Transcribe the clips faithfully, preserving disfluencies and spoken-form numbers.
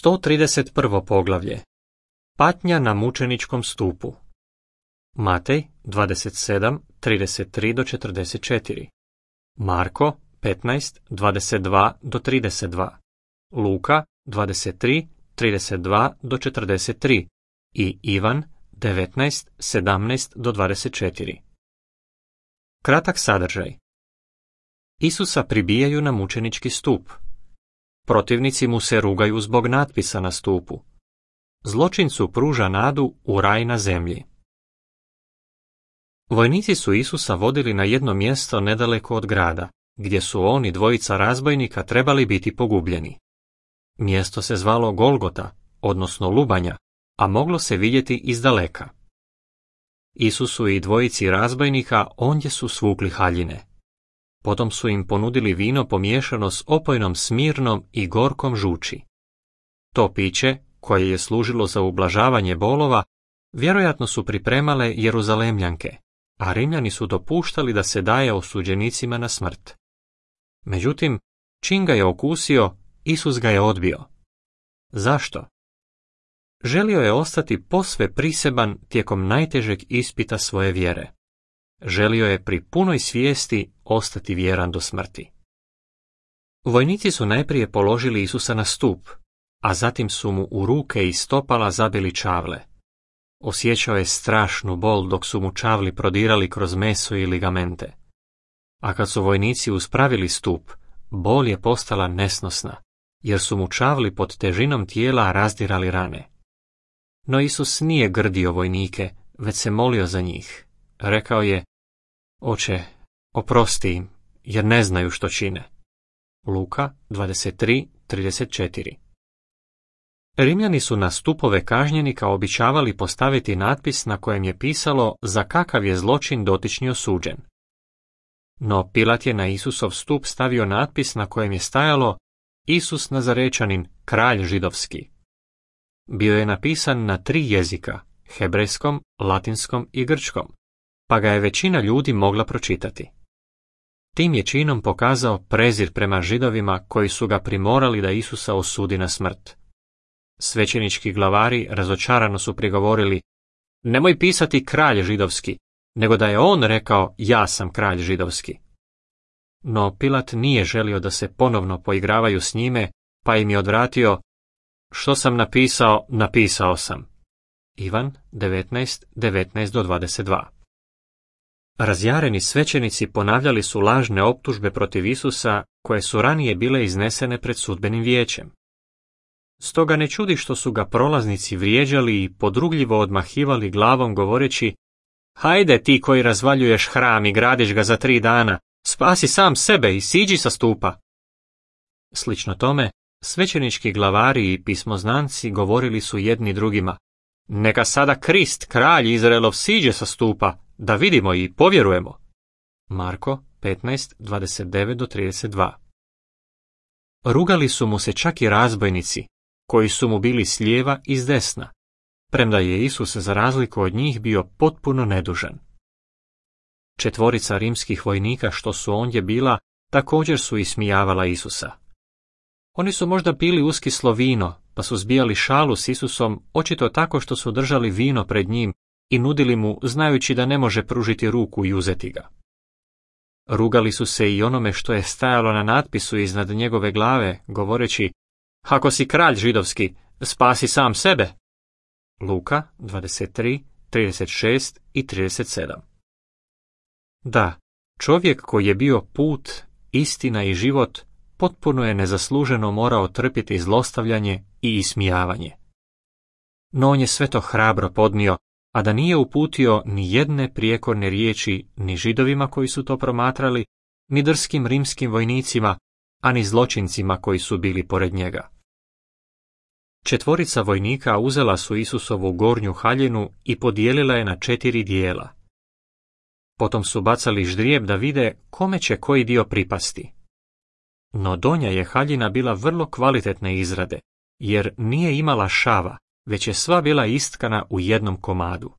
sto trideset prvo poglavlje. Patnja na mučeničkom stupu. Matej dvadeset sedam, trideset tri do četrdeset četiri. Marko petnaest, dvadeset dva do trideset dva. Luka dvadeset tri, trideset dva do četrdeset tri i Ivan devetnaest, sedamnaest do dvadeset četiri. Kratak sadržaj. Isusa pribijaju na mučenički stup. Protivnici mu se rugaju zbog natpisa na stupu. Zločincu pruža nadu u raj na zemlji. Vojnici su Isusa vodili na jedno mjesto nedaleko od grada, gdje su oni dvojica razbojnika trebali biti pogubljeni. Mjesto se zvalo Golgota, odnosno Lubanja, a moglo se vidjeti izdaleka. Isusu i dvojici razbojnika ondje su svukli haljine. Potom su im ponudili vino pomiješano s opojnom smirnom i gorkom žuči. To piće, koje je služilo za ublažavanje bolova, vjerojatno su pripremale Jeruzalemljanke, a Rimljani su dopuštali da se daje osuđenicima na smrt. Međutim, čim ga je okusio, Isus ga je odbio. Zašto? Želio je ostati posve priseban tijekom najtežeg ispita svoje vjere. Želio je pri punoj svijesti ostati vjeran do smrti. Vojnici su najprije položili Isusa na stup, a zatim su mu u ruke i stopala zabili čavle. Osjećao je strašnu bol dok su mu čavli prodirali kroz meso i ligamente. A kad su vojnici uspravili stup, bol je postala nesnosna, jer su mu čavli pod težinom tijela razdirali rane. No Isus nije grdio vojnike, već se molio za njih. Rekao je: Oče, oprosti im, jer ne znaju što čine. Luka dvadeset tri, trideset četiri. Rimljani su na stupove kažnjenika običavali postaviti natpis na kojem je pisalo za kakav je zločin dotični osuđen. No Pilat je na Isusov stup stavio natpis na kojem je stajalo: Isus Nazarečanin, kralj židovski. Bio je napisan na tri jezika, hebrejskom, latinskom i grčkom, pa ga je većina ljudi mogla pročitati. Tim je činom pokazao prezir prema Židovima koji su ga primorali da Isusa osudi na smrt. Svećenički glavari razočarano su prigovorili: Nemoj pisati kralj židovski, nego da je on rekao: Ja sam kralj židovski. No Pilat nije želio da se ponovno poigravaju s njime, pa im je odvratio: Što sam napisao, napisao sam. Ivan devetnaest, devetnaest do dvadeset dva. Razjareni svećenici ponavljali su lažne optužbe protiv Isusa koje su ranije bile iznesene pred sudbenim vijećem. Stoga ne čudi što su ga prolaznici vrijeđali i podrugljivo odmahivali glavom govoreći: Hajde ti koji razvaljuješ hram i gradiš ga za tri dana, spasi sam sebe i siđi sa stupa. Slično tome, svećenički glavari i pismoznanci govorili su jedni drugima: Neka sada Krist, kralj Izraelov, siđe sa stupa, da vidimo i povjerujemo. Marko petnaest, dvadeset devet do trideset dva. Rugali su mu se čak i razbojnici, koji su mu bili s lijeva i s desna, premda je Isus za razliku od njih bio potpuno nedužan. Četvorica rimskih vojnika što su ondje bila također su ismijavala Isusa. Oni su možda bili uskislo vino, pa su zbijali šalu s Isusom, očito tako što su držali vino pred njim i nudili mu, znajući da ne može pružiti ruku i uzeti ga. Rugali su se i onome što je stajalo na natpisu iznad njegove glave, govoreći: Ako si kralj židovski, spasi sam sebe. Luka dvadeset tri, trideset šest i trideset sedam. Da, čovjek koji je bio put, istina i život, potpuno je nezasluženo morao trpjeti zlostavljanje i ismijavanje. No on je sve to hrabro podnio, a da nije uputio ni jedne prijekorne riječi ni Židovima koji su to promatrali, ni drskim rimskim vojnicima, a ni zločincima koji su bili pored njega. Četvorica vojnika uzela su Isusovu gornju haljinu i podijelila je na četiri dijela. Potom su bacali ždrijeb da vide kome će koji dio pripasti. No donja je haljina bila vrlo kvalitetne izrade, jer nije imala šava, već je sva bila istkana u jednom komadu.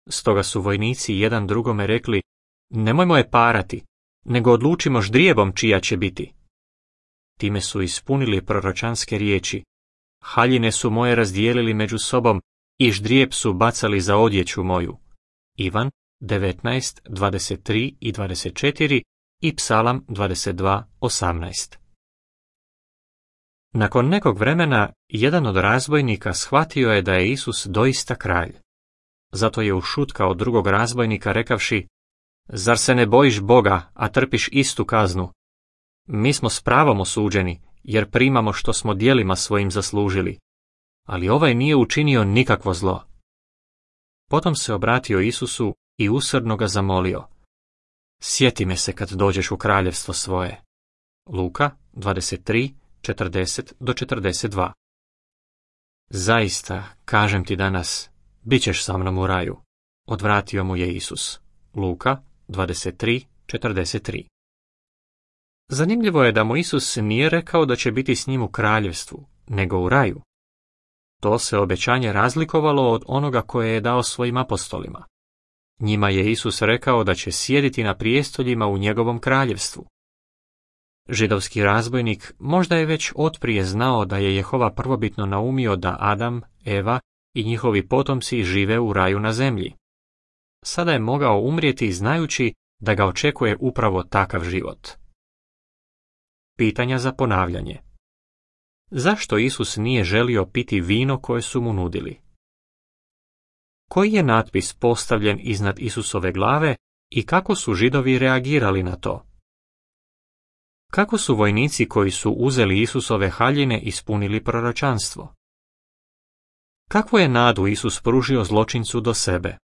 Stoga su vojnici jedan drugome rekli: Nemojmo je parati, nego odlučimo ždrijebom čija će biti. Time su ispunili proročanske riječi: haljine su moje razdijelili među sobom i ždrijeb su bacali za odjeću moju. Ivan devetnaest, dvadeset tri i dvadeset četiri i Psalam dvadeset dva, osamnaest. Nakon nekog vremena, jedan od razbojnika shvatio je da je Isus doista kralj. Zato je ušutkao drugog razbojnika rekavši: Zar se ne bojiš Boga, a trpiš istu kaznu? Mi smo s pravom osuđeni, jer primamo što smo djelima svojim zaslužili. Ali ovaj nije učinio nikakvo zlo. Potom se obratio Isusu i usrdno ga zamolio: Sjeti me se kad dođeš u kraljevstvo svoje. Luka dvadeset tri, četrdeset do četrdeset dva. Zaista, kažem ti danas, bit ćeš sa mnom u raju, odvratio mu je Isus. Luka dvadeset tri, četrdeset tri. Zanimljivo je da mu Isus nije rekao da će biti s njim u kraljevstvu, nego u raju. To se obećanje razlikovalo od onoga koje je dao svojim apostolima. Njima je Isus rekao da će sjediti na prijestoljima u njegovom kraljevstvu. Židovski razbojnik možda je već otprije znao da je Jehova prvobitno naumio da Adam, Eva i njihovi potomci žive u raju na zemlji. Sada je mogao umrijeti znajući da ga očekuje upravo takav život. Pitanja za ponavljanje. Zašto Isus nije želio piti vino koje su mu nudili? Koji je natpis postavljen iznad Isusove glave i kako su Židovi reagirali na to? Kako su vojnici koji su uzeli Isusove haljine ispunili proročanstvo? Kakvu je nadu Isus pružio zločincu do sebe?